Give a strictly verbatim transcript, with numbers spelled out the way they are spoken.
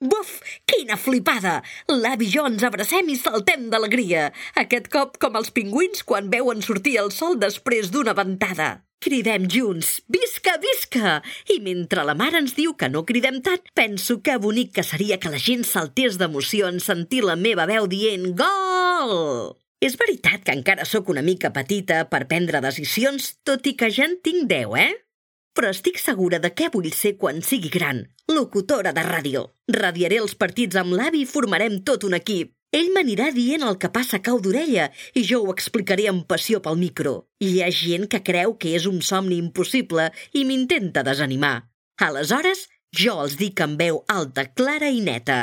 Buf, quina flipada! L'avi i jo ens abracem i saltem d'alegria. Aquest cop com els pingüins quan veuen sortir el sol després d'una ventada. Cridem junts, visca, visca! I mentre la mare ens diu que no cridem tant, penso que bonic que seria que la gent saltés d'emoció en sentir la meva veu dient gol! És veritat que encara sóc una mica petita per prendre decisions, tot i que ja en tinc deu, eh? Però estic segura de què vull ser quan sigui gran. Locutora de ràdio. Radiaré els partits amb l'avi i formarem tot un equip. Ell m'anirà dient el que passa a cau d'orella i jo ho explicaré amb passió pel micro. Hi ha gent que creu que és un somni impossible i m'intenta desanimar. Aleshores, jo els dic amb veu alta, clara i neta.